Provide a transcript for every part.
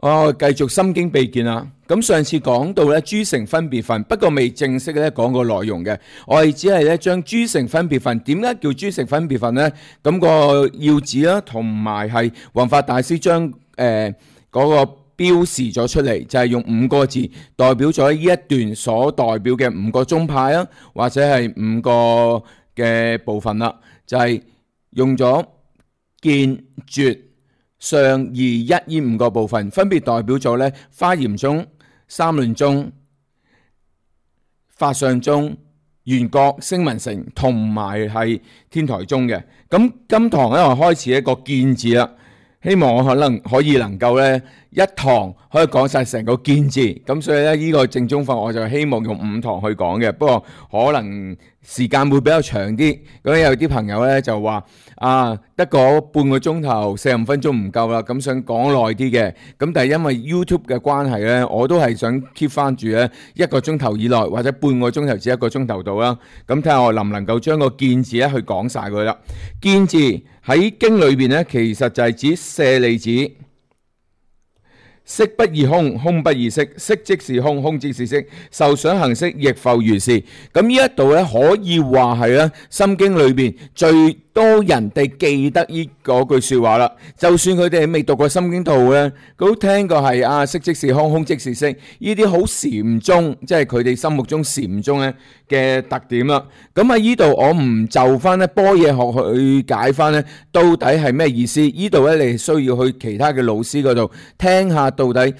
繼續心經秘見啦。咁上次講到咧諸乘分別分，不過未正式咧講個內容嘅。我哋只係咧將諸乘分別分，點解叫諸乘分別分呢？咁個要旨啦，同埋係弘法大師將嗰個標示咗出嚟，就係用5個字代表咗呢一段所代表嘅5個宗派啊，或者係5個嘅部分啦，就係用咗見、絕、上、二、一呢5個部分，分別代表咗咧華嚴宗、三論宗、法相宗、緣覺、聲聞乘同埋係天台宗嘅。咁今堂咧我開始一個見字啦，希望我可以能夠咧一堂可以講晒成個見字，咁所以咧呢個正宗法我就希望用5堂去講嘅，不過可能時間會比較長啲。咁有啲朋友咧就話得個半個鐘頭45分鐘唔夠啦，咁想講耐啲嘅。咁但係因為 YouTube 嘅關係咧，我都係想 keep 翻住咧1個鐘頭以內，或者半個鐘頭至1個鐘頭到啦。咁睇下我能唔能夠將個見字咧去講晒佢啦。見字喺經裏邊咧，其實就係指舍利子。色不異空，空不異色，色即是空，空即是色，受想行識亦復如是。咁呢一度咧，可以話係咧《心經》裏邊最多人哋記得呢嗰句說話啦。就算佢哋未讀過《心經》圖咧，佢都聽過係色即是空，空即是色，呢啲好禪宗，即係佢哋心目中禪宗咧嘅特點啦。咁喺呢度我唔就翻咧般若學去解翻咧，到底係咩意思？呢度咧你需要去其他嘅老師嗰度聽下到底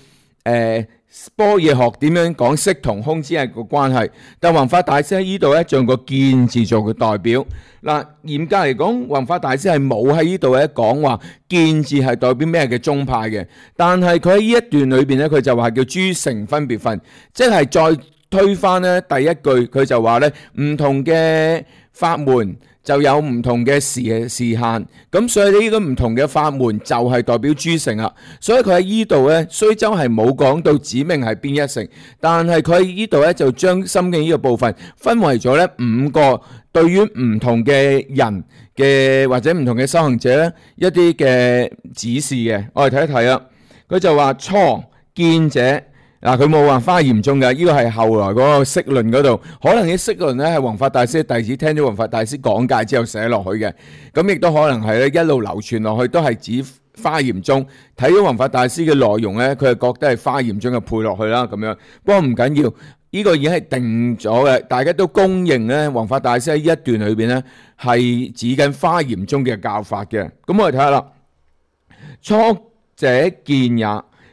般若學點樣講色同空之間個關係。但弘法大師喺呢度咧，用個見字做嘅代表。嗱，嚴格嚟講，弘法大師係冇喺呢度咧講話見字係代表咩嘅宗派嘅。但係佢喺呢一段裏邊咧，佢就話叫諸乘分別分，即係再推翻咧第一句，佢就話咧唔同嘅法門就有唔同嘅時限，咁所以呢個唔同嘅法門就係代表諸乘啦。所以佢喺呢度咧，雖則係冇講到指明係邊一乘，但係佢喺呢度咧就將心經呢個部分分為咗咧5個對於唔同嘅人嘅或者唔同嘅修行者咧一啲嘅指示嘅。我哋睇一睇啦，佢就話初見者。嗱，佢冇話華嚴宗嘅，呢個係後來嗰個釋論嗰度，可能啲釋論咧係弘法大師弟子聽咗弘法大師講解之後寫落去嘅，咁亦都可能係咧一路流傳落去都係指華嚴宗。睇咗弘法大師嘅內容咧，佢係覺得係華嚴宗嘅配落去啦咁樣。不過唔緊要，呢個已經係定咗嘅，大家都公認咧弘法大師喺呢一段裏邊咧係指緊華嚴宗嘅教法嘅。咁我哋睇下啦，初者見也，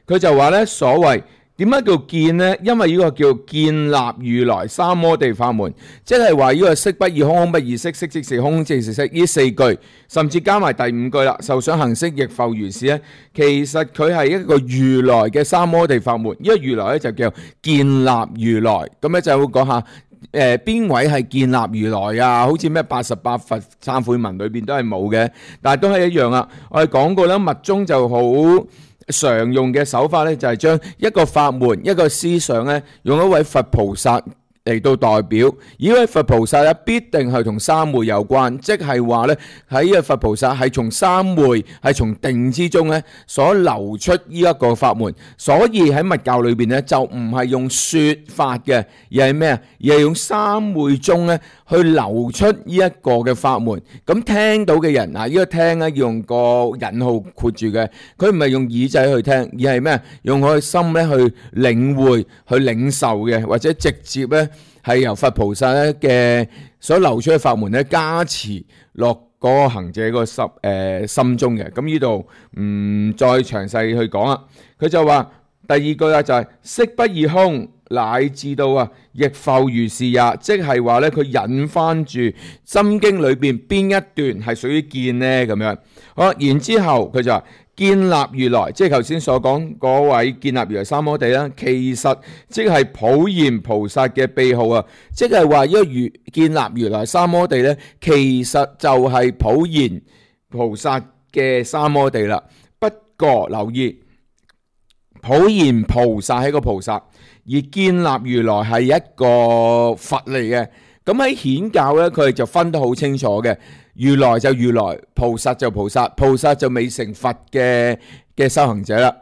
佢就話咧所謂。點解叫見呢？因為呢個叫建立如來三摩地法門，即係話呢個色不異空，空不異色，色即是空，空即是色。呢4句，甚至加埋第5句啦，受想行識亦復如是咧。其實佢係一個如來嘅三摩地法門，呢個如來咧就叫建立如來。咁咧就會講下邊位係建立如來啊？好似咩88佛懺悔文裏邊都係冇嘅，但係都係一樣啊。我哋講過啦，密宗就好常用嘅手法咧，就係將一個法門、一個思想咧，用一位佛菩薩嚟到代表。呢位佛菩薩咧，必定係同三昧有關，即係話咧喺呢個佛菩薩係從三昧、係從定之中咧所流出呢一個法門。所以喺密教裏邊咧，就唔係用說法嘅，而係咩啊？而係用三昧中咧去流出呢一個嘅法門。咁聽到嘅人嗱，呢個聽咧要用個引號括住嘅，佢唔係用耳仔去聽，而係咩？用佢嘅心咧去領會、去領受嘅，或者直接咧係由佛菩薩咧嘅所流出嘅法門咧加持落嗰個行者個心中嘅。咁呢度唔再詳細去講啦。佢就話第2句啊，就係色不異空，乃至到亦復如是也，即係話咧佢引翻住心經裏邊邊一段係屬於見呢咁樣。好，然之後佢就話建立如來，即係頭先所講嗰位建立如來三摩地啦，其實即係普賢菩薩嘅秘號啊！即係話呢個建立如來三摩地咧，其實就係普賢菩薩嘅三摩地啦。不過留意，普賢菩薩係一個菩薩，而建立如來係一個佛嚟嘅。咁喺顯教咧，佢哋就分得好清楚嘅。如來就如來，菩薩就菩薩，菩薩就未成佛嘅修行者啦。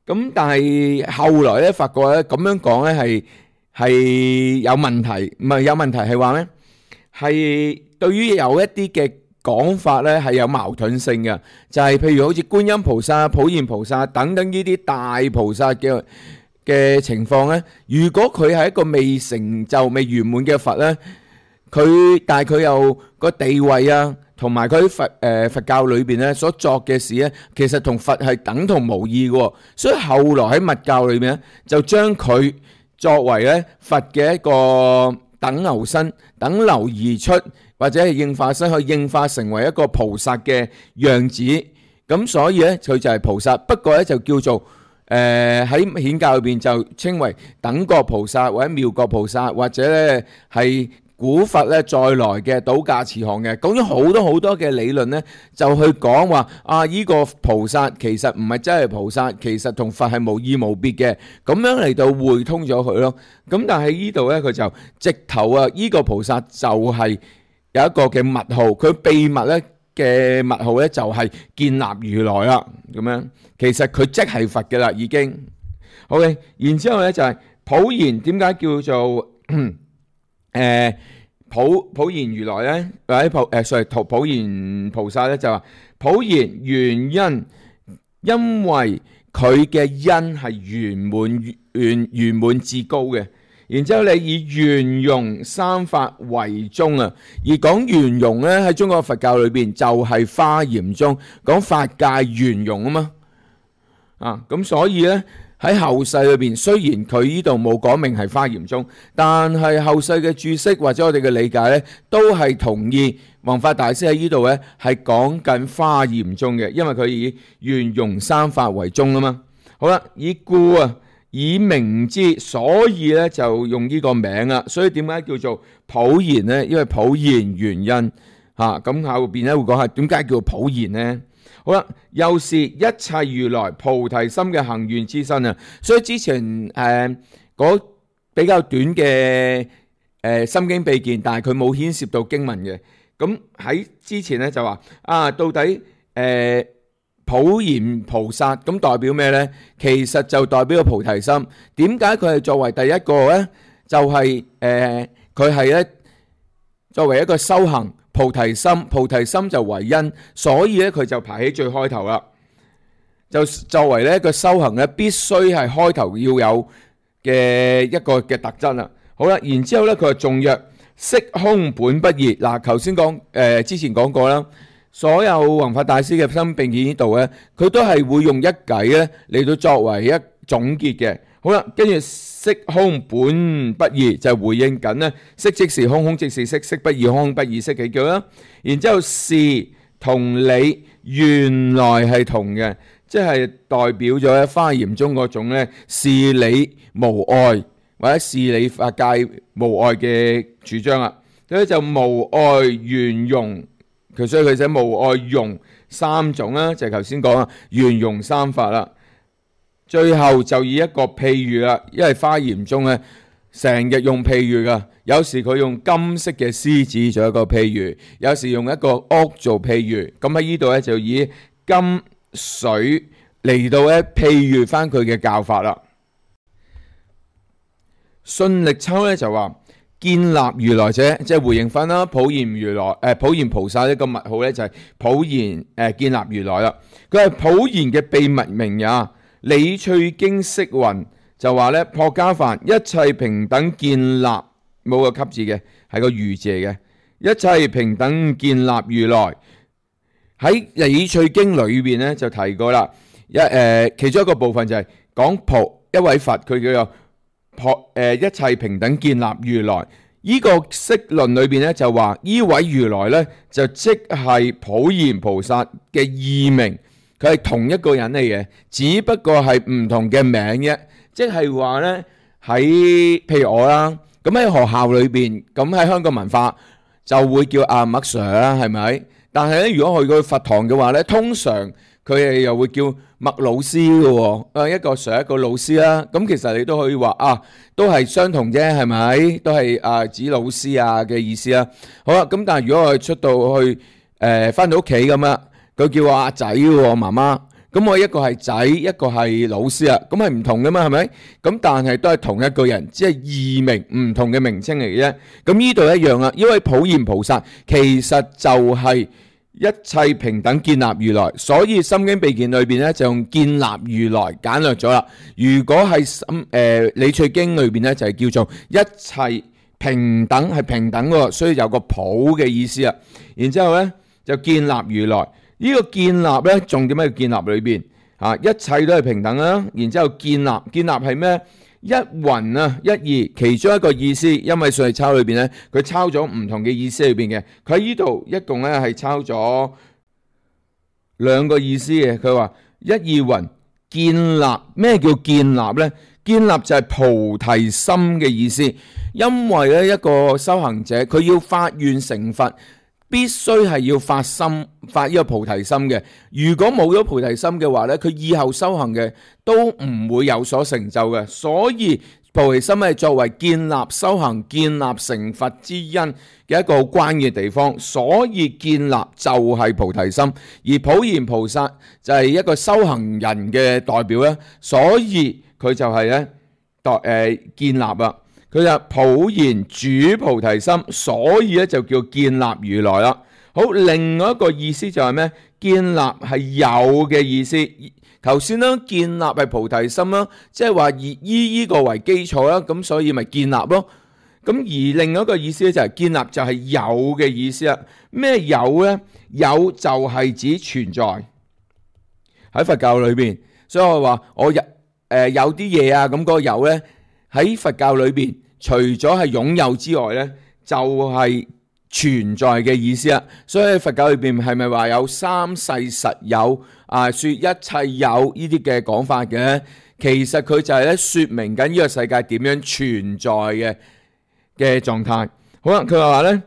咁但係後來咧發覺咧咁樣講咧係有問題，唔係有問題係話咧係對於有一啲嘅講法咧係有矛盾性嘅，就係譬如好似觀音菩薩、普賢菩薩等等呢啲大菩薩嘅情況咧，如果佢係一個未成就、未圓滿嘅佛咧，但係佢又個地位啊，同埋佢喺佛教裏邊咧所作嘅事咧，其實同佛係等同無異嘅，所以後來喺密教裏邊咧，就將佢作為咧佛嘅一個等流身、等流而出，或者係應化身去應化成為一個菩薩嘅樣子。咁所以咧，佢就係菩薩，不過咧就叫做喺顯教裏邊就稱為等覺菩薩或者妙覺菩薩，或者咧係古佛咧再來嘅倒駕慈航嘅，講咗好多嘅理論咧，就去講話啊依個菩薩其實唔係真係菩薩，其實同佛係無異無別嘅，咁樣嚟到匯通咗佢咯。咁但係呢度咧佢就直頭啊，依個菩薩就係有一個嘅密號，佢秘密咧嘅密號咧就係建立如來啦。咁樣其實佢即係佛嘅啦，已經。好嘅，然之後咧就係普賢，點解叫做普賢如來咧，或者普賢菩薩咧，就話普賢原因，因為佢嘅因係圓滿至高嘅。然之後你以圓融三法為宗啊，而講圓融咧喺中國佛教裏邊就係華嚴宗，講法界圓融啊嘛。咁所以咧喺後世裏邊，雖然佢呢度冇講明係華嚴宗，但係後世嘅注釋或者我哋嘅理解咧，都係同意弘法大師喺呢度咧係講緊華嚴宗嘅，因為佢以圓融三法為宗啊嘛。好啦，以名之，所以咧就用呢個名啦。所以點解叫做普賢咧？因為普賢原因咁後邊咧會講下點解叫普賢咧。好啦，又是一切如來菩提心嘅行願之身啊！所以之前嗰比較短嘅心經秘見，但係佢冇牽涉到經文嘅。咁喺之前咧就話到底普賢菩薩咁代表咩呢？其實就代表個菩提心。點解佢係作為第一個呢？就係佢係咧作為一個修行。菩提心就為因，所以咧佢就排喺最開頭啦。就作為呢一個修行咧，必須係開頭要有嘅一個嘅特質啦。好啦，然之後咧佢就頌曰：色空本不二。嗱，頭先之前講過啦，所有弘法大師嘅心並見呢度咧，佢都係會用一偈咧嚟到作為一總結嘅。好啦，跟住色空本不二就回應緊咧，色即是空，空即是色，色不異空，空不異色幾句啦。然之後事同理原來係同嘅，即係代表咗喺華嚴中嗰種咧事理無礙或者事理法界無礙嘅主張啦。所以就無礙圓融，所以佢寫無礙融三種啦，就係頭先講啊圓融三法啦。最後就以一個譬喻啦，因為華嚴宗咧成日用譬喻噶，有時佢用金色嘅獅子做一個譬喻，有時用一個屋做譬喻。咁喺呢度咧就以金水嚟到咧譬喻翻佢嘅教法啦。信力秋咧就話建立如來者，即係回應翻啦。普賢如來普賢菩薩呢個密號咧就係普賢建立如來啦。佢係普賢嘅秘密名也。理趣經釋云就話咧破家梵一切平等建立，冇個給字嘅，係個如字嚟嘅。一切平等建立如來喺理趣經裏邊咧就提過啦。其中一個部分就係講一位佛，佢叫做一切平等建立如來。呢個釋論裏邊咧就話呢位如來咧就即係普賢菩薩嘅異名。佢係同一個人嚟嘅，只不過係唔同嘅名啫。即係話呢，譬如我啦，咁喺學校裏邊，咁喺香港文化就會叫阿麥 Sir 啦，係咪？但係咧，如果去過佛堂嘅話呢，通常佢哋又會叫麥老師嘅喎。一個 Sir 一個老師啦。咁其實你都可以話都係相同啫，係咪？都係指老師嘅意思啦。好啦，咁但係如果我出到去返到屋企咁啦。佢叫我阿仔喎，媽媽。咁我一個係仔，一個係老師啊，咁係唔同噶嘛，係咪？咁但係都係同一個人，只係異名唔同嘅名稱嚟嘅啫。咁呢度一樣啊，因為普賢菩薩其實就係一切平等建立如來，所以心經秘鍵裏邊咧就用建立如來簡略咗啦。如果係理趣經裏邊咧就係叫做一切平等，係平等喎，所以有個普嘅意思啊。然之後咧就建立如來。呢個建立咧，重點喺建立裏邊嚇，一切都係平等啦。然之後建立係咩？一雲啊，一義，其中一個意思，因為上嚟抄裏邊咧，佢抄咗唔同嘅意思裏邊嘅。佢喺呢度一共咧係抄咗兩個意思嘅。佢話一義雲建立，咩叫建立咧？建立就係菩提心嘅意思。因為咧一個修行者，佢要發願成佛，必須係要發呢個菩提心嘅。如果冇咗菩提心嘅話咧，佢以後修行嘅都唔會有所成就嘅。所以菩提心係作為建立修行、建立成佛之因嘅一個好關鍵嘅地方。所以建立就係菩提心，而普賢菩薩就係一個修行人嘅代表咧。所以佢就係咧建立啊。佢就普賢主菩提心，所以咧就叫建立如來啦。好，另外一個意思就係咩？建立係有嘅意思。頭先咧建立係菩提心啦，即係話以呢個為基礎啦，咁所以咪建立咯。咁而另外一個意思咧就係建立就係有嘅意思啦。咩有咧？有就係指存在喺佛教裏邊，所以我話我有啲嘢啊，咁嗰個有咧。喺佛教裏邊，除咗係擁有之外咧，就係存在嘅意思啦。所以喺佛教裏邊係咪話有三世實有啊？說一切有呢啲嘅講法嘅，其實佢就係咧說明緊呢個世界點樣存在嘅狀態。好啦，佢話咧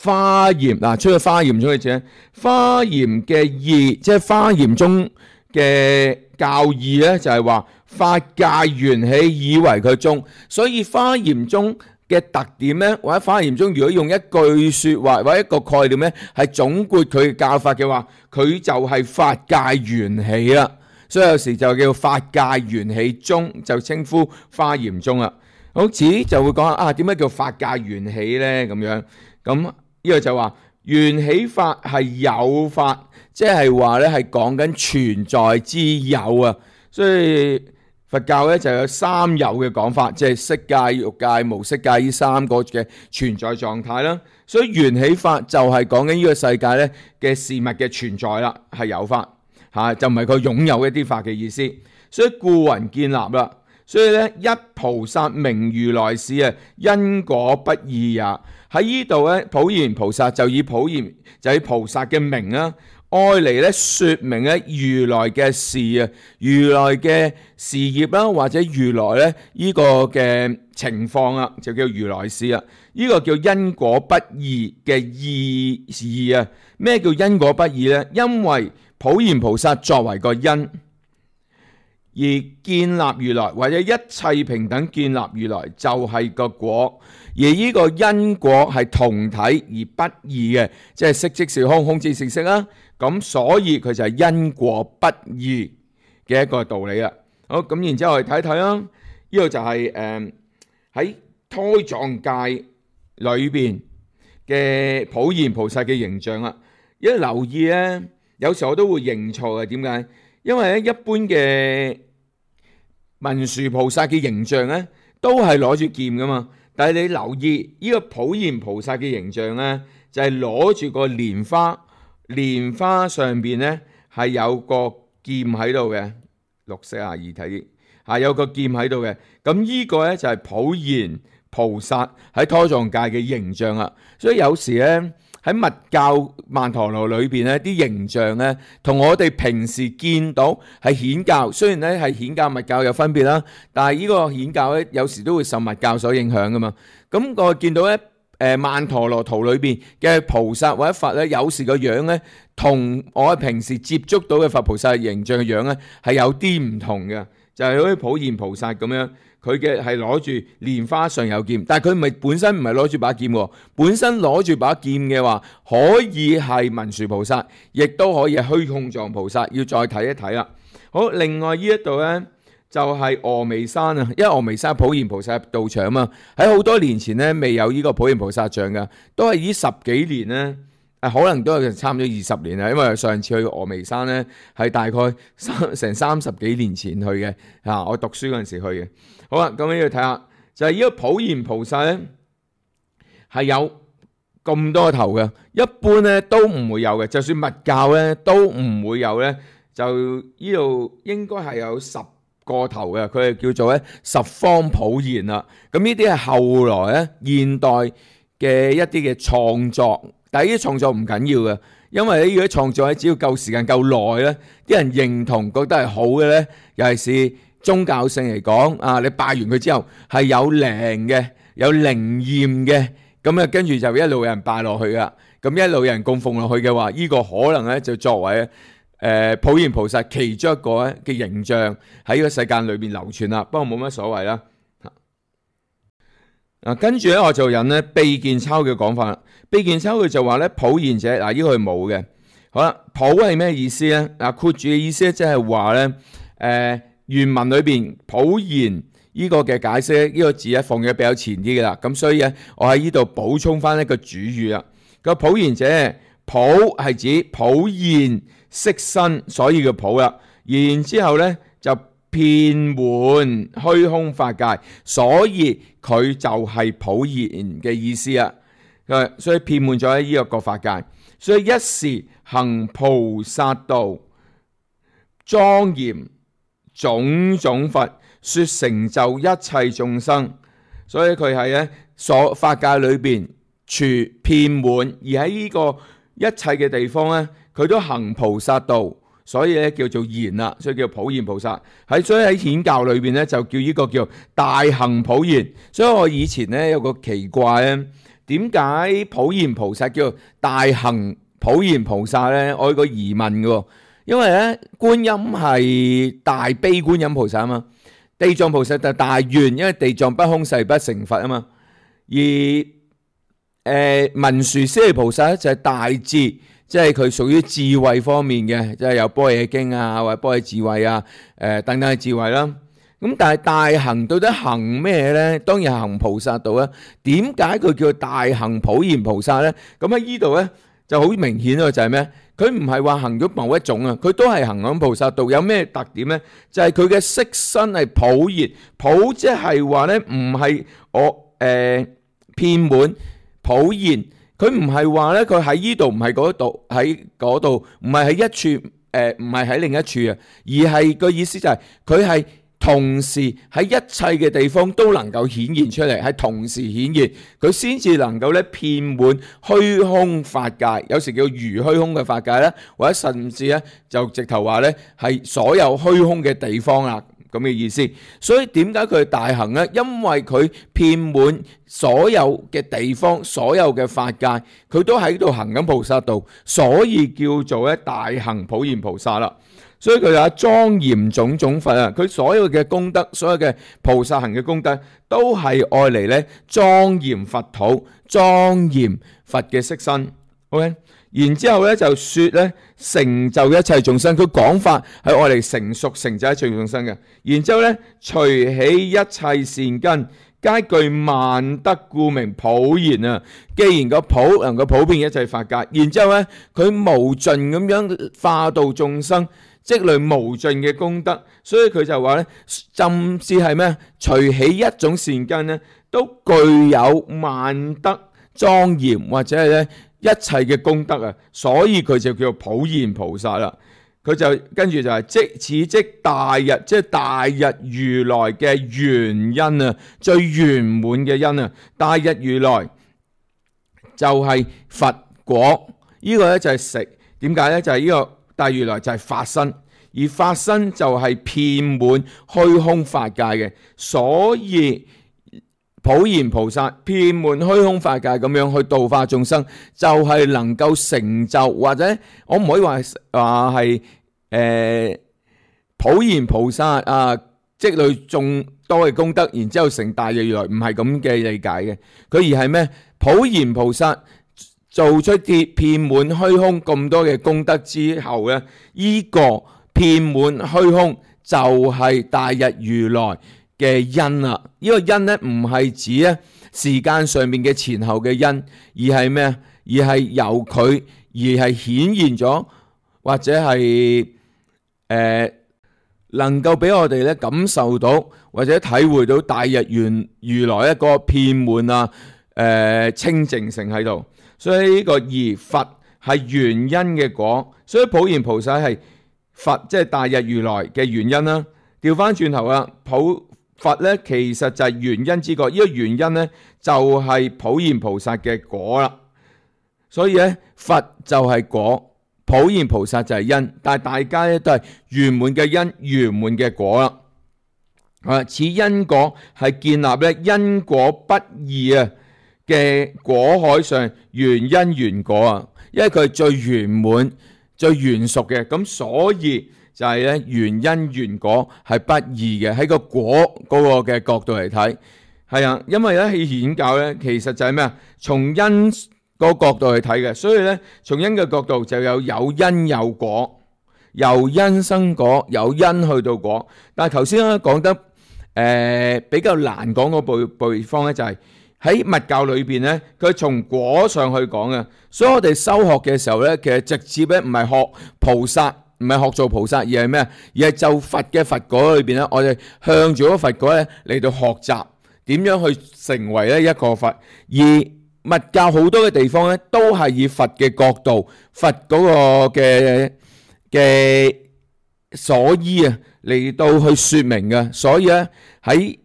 華嚴嗱，出去華嚴中嘅字，華嚴嘅義，即係華嚴中嘅教義咧，就係話。法界緣起以為佢宗，所以華嚴宗嘅特點咧，或者華嚴宗如果用一句說話或者一個概念咧，係總括佢嘅教法嘅話，佢就係法界緣起啦。所以有時就叫法界緣起宗，就稱呼華嚴宗啦。好似就會講啊，點解叫法界緣起咧？咁樣咁呢個就話緣起法係有法，即係話咧係講緊存在之有啊。所以佛教咧就有三有嘅講法，即係色界、欲界、無色界呢三個嘅存在狀態啦。所以緣起法就係講緊呢個世界咧嘅事物嘅存在啦，係有法嚇，就唔係佢擁有一啲法嘅意思。所以故云建立啦。所以咧一菩薩名如來是啊，因果不二也。喺呢度咧，普賢菩薩就以菩薩嘅名啊。愛嚟咧說明咧如來嘅事啊，如來嘅事業啦，或者如來咧呢個嘅情況啊，就叫如來事啊。呢個叫因果不二嘅意義啊。咩叫因果不二咧？因為普賢菩薩作為個因，而建立如來或者一切平等建立如來就係個果，而呢個因果係同體而不二嘅，即係色即是空，空即是色啦。咁所以佢就係因果不二嘅一個道理啦。好，咁然之後我哋睇睇啦，呢個就係喺胎藏界裏邊嘅普賢菩薩嘅形象啦。一留意咧，有時候我都會認錯嘅，點解？因為咧一般嘅文殊菩薩嘅形象咧，都係攞住劍噶嘛。但係你留意呢個普賢菩薩嘅形象咧，就係攞住個蓮花。蓮花上邊咧係有個劍喺度嘅，綠色啊，二體係有個劍喺度嘅。咁呢個咧就係普賢菩薩喺胎藏界嘅形象啦。所以有時咧喺密教曼陀羅裏邊咧啲形象咧，同我哋平時見到係顯教，雖然咧係顯教密教有分別啦，但係呢個顯教咧有時都會受密教所影響噶嘛。咁我見到咧。曼陀羅圖裏邊嘅菩薩或者佛咧，有時個樣咧，同我平時接觸到嘅佛菩薩形象嘅樣咧，係有啲唔同嘅。就係好似普賢菩薩咁樣，佢嘅係攞住蓮花上有劍，但係佢唔係本身唔係攞住把劍喎，本身攞住把劍嘅話，可以係文殊菩薩，亦都可以係虛空藏菩薩，要再睇一睇啦。好，另外呢一度呢，就係峨眉山啊，因為峨眉山普賢菩薩道場啊嘛，喺好多年前呢，未有呢個普賢菩薩像噶，都係呢10幾年呢。可能都係差唔多20年啦，因為上次去峨眉山咧係大概成30幾年前去嘅，我讀書嗰陣時去嘅。好啦，咁呢度睇下，就係呢個普賢菩薩咧係有咁多頭嘅，一般咧都唔會有嘅，就算密教咧都唔會有咧，就呢度應該係有10個頭嘅，佢係叫做咧十方普賢啦。咁呢啲係後來咧現代嘅一啲嘅創作。但係呢啲創作唔緊要嘅，因為呢啲創作只要夠時間夠耐咧，啲人認同覺得係好嘅咧，尤其是宗教性嚟講，你拜完佢之後係有靈嘅、有靈驗嘅，咁跟住就一路有人拜落去噶，咁一路有人供奉落去嘅話，呢個可能咧就作為普賢菩薩其中一個嘅形象喺呢個世界裏邊流傳啦。不過冇乜所謂啦。跟住咧我就引咧秘見鈔嘅講法啦。秘見鈔佢就話咧普賢者，呢個係冇嘅。好啦，普係咩意思咧？括住嘅意思即係話咧，原文裏邊普賢呢個嘅解釋，呢個字咧放咗比較前啲嘅啦。咁所以咧，我喺呢度補充翻一個主語啦。個普賢者，普係指普現色身，所以叫普啦。然之後咧就遍滿虛空法界，所以佢就係普賢嘅意思啊！所以遍滿咗喺呢個法界，所以一時行菩薩道，莊嚴種種佛，說成就一切眾生。所以佢係咧所法界裏邊全遍滿，而喺呢個一切嘅地方咧，佢都行菩薩道。所以咧叫做賢啦，所以叫普賢菩薩。所以喺顯教裏邊咧就叫呢個叫大行普賢。所以我以前咧有個奇怪咧，點解普賢菩薩叫大行普賢菩薩咧？我有個疑問嘅，因為咧觀音係大悲觀音菩薩啊嘛，地藏菩薩就大願，因為地藏不空誓不成佛啊嘛。而文殊師利菩薩咧就係大智。即係佢屬於智慧方面嘅，即係有般若經啊，或者般若智慧啊，等等嘅智慧啦。咁但係大行到底行咩咧？當然行菩薩道啦。點解佢叫大行普賢菩薩咧？咁喺呢度咧就好明顯咯，就係咩？佢唔係話行咗某一種啊，佢都係行緊菩薩道。有咩特點咧？就係佢嘅色身係普賢，普即係話咧唔係我遍滿普賢。佢唔係話咧，佢喺呢度唔係嗰度，喺嗰度唔係喺一處，唔係喺另一處啊，而係個意思就係佢係同時喺一切嘅地方都能夠顯現出嚟，係同時顯現，佢先至能夠咧遍滿虛空法界，有時叫如虛空嘅法界咧，或者甚至咧就直頭話咧係所有虛空嘅地方啦。咁嘅意思，所以點解佢係大行呢？因為佢遍滿所有嘅地方，所有嘅法界，佢都喺度行緊菩薩道，所以叫做咧大行普賢菩薩啦。所以佢話莊嚴種種佛啊，佢所有嘅功德，所有嘅菩薩行嘅功德，都係愛嚟咧莊嚴佛土，莊嚴佛嘅色身。OK。然之後咧就說咧成就一切眾生，佢講法係愛嚟成熟成就一切眾生嘅。然之後咧隨起一切善根，皆具萬德，故名普賢啊。既然個普能夠普遍一切法界，然之後咧佢無盡咁樣化度眾生，積累無盡嘅功德，所以佢就話咧，甚至係咩？隨起一種善根咧，都具有萬德莊嚴，或者係咧一切嘅功德啊，所以佢就叫做普賢菩薩啦。佢就跟住就係此即大日，即係大日如來嘅原因啊，最圓滿嘅因啊。大日如來就係佛果，呢個咧就係食。點解咧？就係呢個大如來就係法身，而法身就係遍滿虛空法界嘅，所以普賢菩薩遍滿虛空法界咁樣去度化眾生，就係能夠成就，或者我唔可以話係普賢菩薩啊積累眾多嘅功德，然之後成大嘅如來，唔係咁嘅理解嘅。佢而係咩？普賢菩薩做出啲遍滿虛空咁多嘅功德之後咧，呢個遍滿虛空就係大日如來嘅因啦。呢個因咧唔係指咧時間上面嘅前後嘅因，而係咩？而係由佢而係顯現咗，或者係能夠俾我哋咧感受到或者體會到大日如來一個遍滿清淨性喺度。所以呢個而佛係原因嘅果，所以普賢菩薩係佛，即係大日如來嘅原因啦。調翻轉頭啦，佛咧其實就係原因之果，呢個原因咧就係普賢菩薩嘅果啦。所以咧佛就係果，普賢菩薩就係因，但係大家咧都係圓滿嘅因，圓滿嘅果啦。此因果係建立咧因果不二嘅果海上原因原果啊，因為佢係最圓滿、最圓熟嘅，咁所以就係咧原因原果係不二嘅。喺個果嗰個嘅角度嚟睇，係啊，因為咧喺顯教咧其實就係咩啊？從因個角度去睇嘅，所以咧從因嘅角度就有因有果，由因生果，由因去到果。但係頭先咧講得比較難講嗰部方咧就係喺密教裏邊咧，佢從果上去講嘅。所以我哋修學嘅時候咧，其實直接咧唔係學菩薩，唔係學做菩薩，而係咩？而係就佛嘅佛果裏邊咧，我哋向住嗰個佛果咧嚟到學習點樣去成為咧一個佛。而密教好多嘅地方咧，都係以佛嘅角度、佛嗰個嘅所依啊嚟到去說明嘅。所以咧喺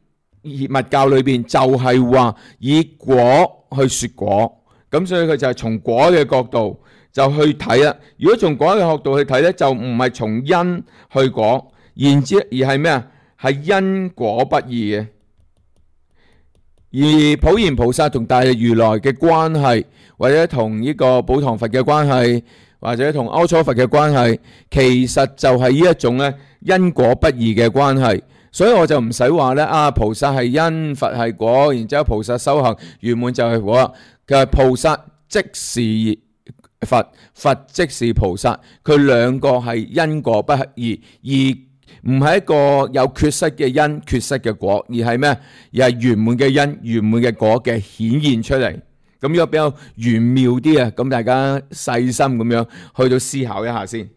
密教裏邊就係話以果去說果，咁所以佢就係從果嘅角度就去睇啦。如果從果嘅角度去睇咧，就唔係從因去果，而係咩啊？係因果不二嘅。而普賢菩薩同大日如來嘅關係，或者同呢個寶堂佛嘅關係，或者同阿閦佛嘅關係，其實就係呢一種咧因果不二嘅關係。所以我就唔使話咧菩薩係因，佛係果，然之後菩薩修行圓滿就係果。佢係菩薩即是佛，佛即是菩薩，佢兩個係因果不二，而唔係一個有缺失嘅因、缺失嘅果，而係咩？而係圓滿嘅因、圓滿嘅果嘅顯現出嚟。咁呢個比較玄妙啲啊！咁大家細心咁樣去到思考一下先。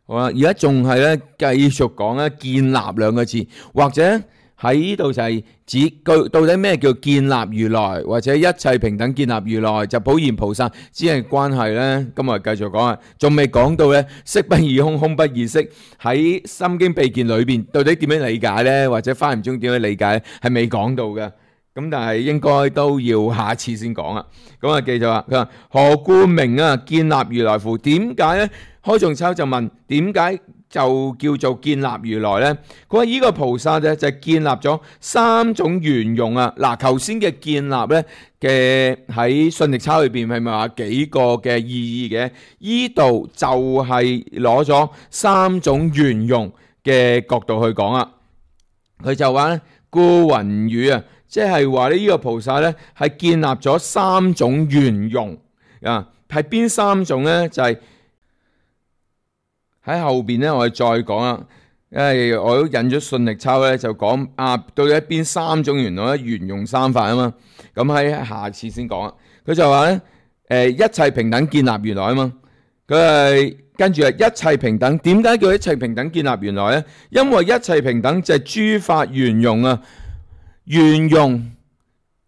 好啦，而家仲係咧繼續講咧建立兩個字，或者喺呢度就係指到底咩叫建立如來，或者一切平等建立如來，就普賢菩薩之間嘅關係咧。今日繼續講啊，仲未講到咧色不異空，空不異色，喺心經秘見裏邊到底點樣理解咧，或者華嚴中點樣理解咧，係未講到嘅。咁但係應該都要下次先講啊。咁啊，記住啊，佢話何故名建立如來乎？點解咧？開仲秋就問點解就叫做建立如來呢？佢話呢個菩薩咧就建立咗三種圓融啊！嗱，頭先嘅建立咧嘅喺信力抄裏邊係咪話幾個嘅意義嘅？依度就係攞咗三種圓融嘅角度去講啊！佢就話咧，故云語啊，即係話呢個菩薩咧係建立咗三種圓融啊！係邊三種咧？就係喺後邊咧，我哋再講啦，因為我都引咗信力抄咧，就講到底邊三種圓融咧，圓融三法啊嘛。咁喺下次先講啊。佢就話咧，一切平等建立如來啊嘛。佢係跟住一切平等，點解叫一切平等建立如來咧？因為一切平等就係諸法圓融啊，圓融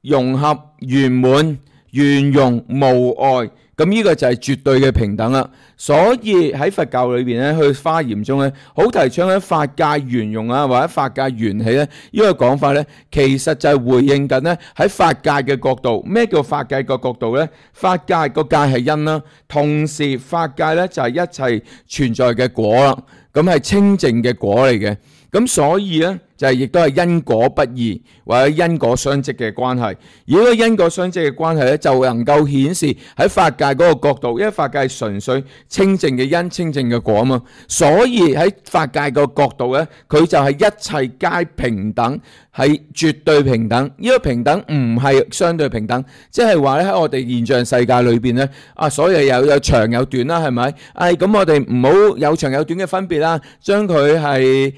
融合圓滿，圓融無礙。咁呢個就係絕對嘅平等啦，所以喺佛教裏邊咧，去華嚴中咧，好提倡咧法界圓融啊，或者法界緣起咧，呢個講法咧，其實就係回應緊咧喺法界嘅角度。咩叫法界個角度咧？法界個界係因啦，同時法界咧就係一切存在嘅果啦，咁係清淨嘅果嚟嘅。咁所以咧就係亦都係因果不義或者因果相積嘅關係。而呢個因果相積嘅關係咧，就能夠顯示喺法界嗰個角度，因為法界係純粹清淨嘅因、清淨嘅果啊嘛。所以喺法界個角度咧，佢就係一切皆平等，係絕對平等。呢個平等唔係相對平等，即係話咧喺我哋現象世界裏邊咧，所以有長有短啦，係咪？咁我哋唔好有長有短嘅分別啦，將佢係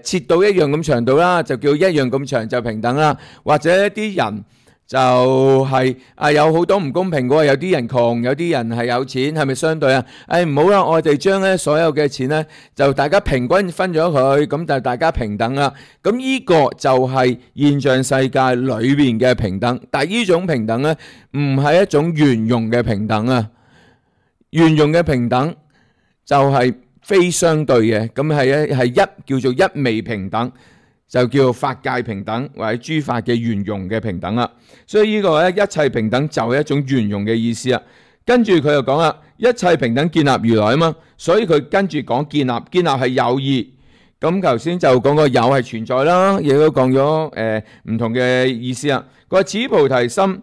切到一樣咁長度啦，就叫一樣咁長就平等啦。或者一啲人就係有好多唔公平嘅，有啲人窮，有啲人係有錢，係咪相對啊？唔好啦，我哋將咧所有嘅錢咧就大家平均分咗佢，咁就大家平等啦。咁呢個就係現象世界裏邊嘅平等，但係呢種平等咧唔係一種圓融嘅平等啊。圓融嘅平等就係非相對嘅，咁係叫做一味平等，就叫做法界平等或者諸法嘅圓融嘅平等啦。所以呢個咧一切平等就係一種圓融嘅意思啦。跟住佢又講啦，一切平等建立如來啊嘛，所以佢跟住講建立係有義。咁頭先就講個有係存在啦，亦都講咗唔同嘅意思啦。佢話此菩提心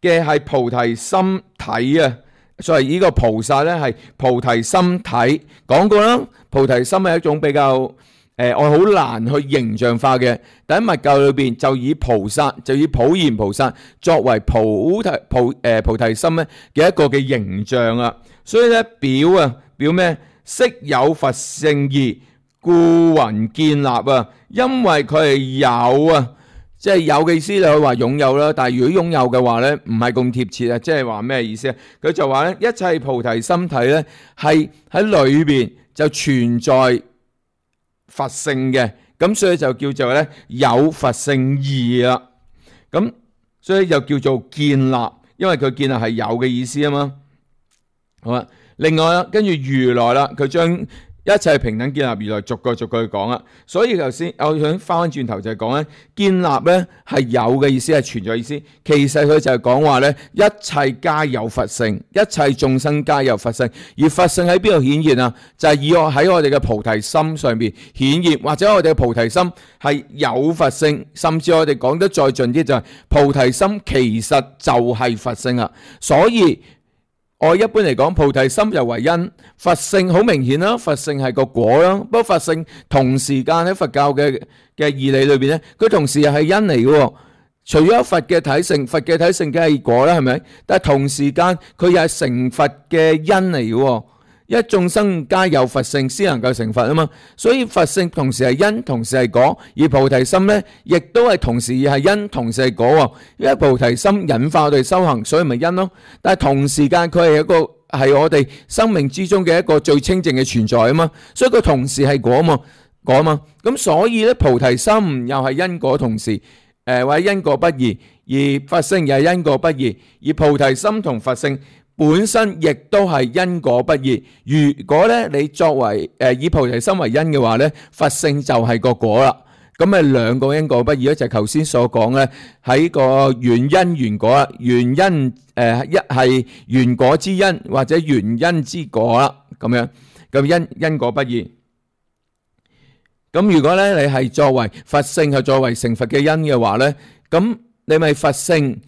嘅係菩提心體啊。所以呢個菩薩咧係菩提心體，講過啦。菩提心係一種比較我好難去形象化嘅，但喺密教裏邊就以菩薩，就以普賢菩薩作為菩提心咧嘅一個嘅形象啊。所以咧表咩？悉有佛性義，故云建立啊。因為佢係有啊。即係有嘅意思，你可以話擁有啦。但係如果擁有嘅話咧，唔係咁貼切啊。即係話咩意思啊？佢就話咧，一切菩提心體咧係喺裏邊就存在佛性嘅，咁所以就叫做咧有佛性義啦。咁所以就叫做建立，因為佢建立係有嘅意思啊嘛。好啦，另外啦，跟住如來啦，佢將一切平等建立如來逐句去講啦。所以頭先我想翻轉頭就係講咧，建立咧係有嘅意思，係存在意思。其實佢就係講話咧，一切皆有佛性，一切眾生皆有佛性。而佛性喺邊度顯現啊？就係以喺我哋嘅菩提心上邊顯現，或者我哋嘅菩提心係有佛性，甚至我哋講得再盡啲就係菩提心其實就係佛性啊。所以我一般嚟講，菩提心就為因，佛性好明顯啦，佛性係個果啦。不過佛性同時間喺佛教嘅義理裏邊咧，佢同時又係因嚟嘅。除咗佛嘅體性，佛嘅體性梗係果啦，係咪？但係同時間佢又係成佛嘅因嚟嘅。因為眾生皆有佛性，先能夠成佛啊嘛。所以佛性同時係因，同時係果。而菩提心咧，亦都係同時係因，同時係果。因為菩提心引發我哋修行，所以咪因咯。但係同時間佢係一個係我哋生命之中嘅一個最清淨嘅存在啊嘛。所以佢同時係果啊嘛。咁所以咧，菩提心又係因果同時，或者因果不異，而佛性又係因果不異，而菩提心同佛性本身亦都係因果不異。如果咧你作為以菩提心為因嘅話咧，佛性就係個果啦。咁咪兩個因果不異咧，就係頭先所講咧喺個原因原果啦。原因一係原果之因或者原因之果啦，咁樣咁因果不異。咁如果咧你係作為佛性係作為成佛嘅因嘅話咧，咁你咪佛性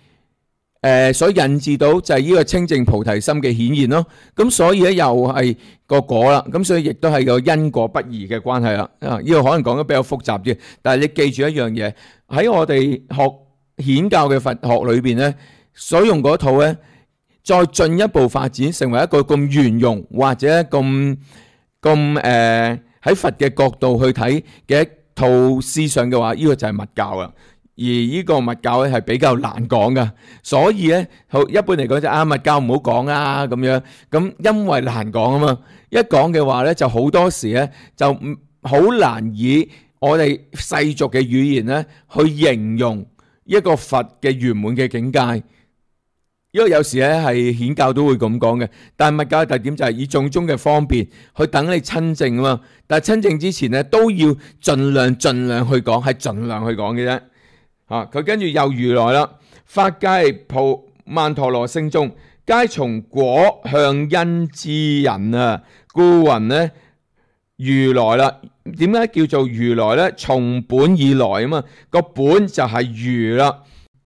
所引致到就係呢個清淨菩提心嘅顯現咯。咁所以咧又係個果啦。咁所以亦都係個因果不異嘅關係啦。呢個可能講得比較複雜啲，但係你記住一樣嘢，喺我哋學顯教嘅佛學裏邊咧，所用嗰套咧，再進一步發展成為一個咁圓融或者咁喺佛嘅角度去睇嘅一套思想嘅話，呢個就係密教啦。而呢個密教咧係比較難講噶，所以咧一般嚟講就密教唔好講啦咁樣。咁因為難講啊嘛，一講嘅話咧就好多時咧就好難以我哋世俗嘅語言咧去形容一個佛嘅圓滿嘅境界。因為有時咧係顯教都會咁講嘅，但係密教嘅特點就係以種種嘅方便去等你親證啊嘛。但係親證之前咧都要盡量去講，係盡量去講嘅啫。佢跟住又如來啦，法界曼陀羅聖眾，皆從果向因之人啊，故云呢如來啦。點解叫做如來呢？從本以來啊嘛，個本就係如啦。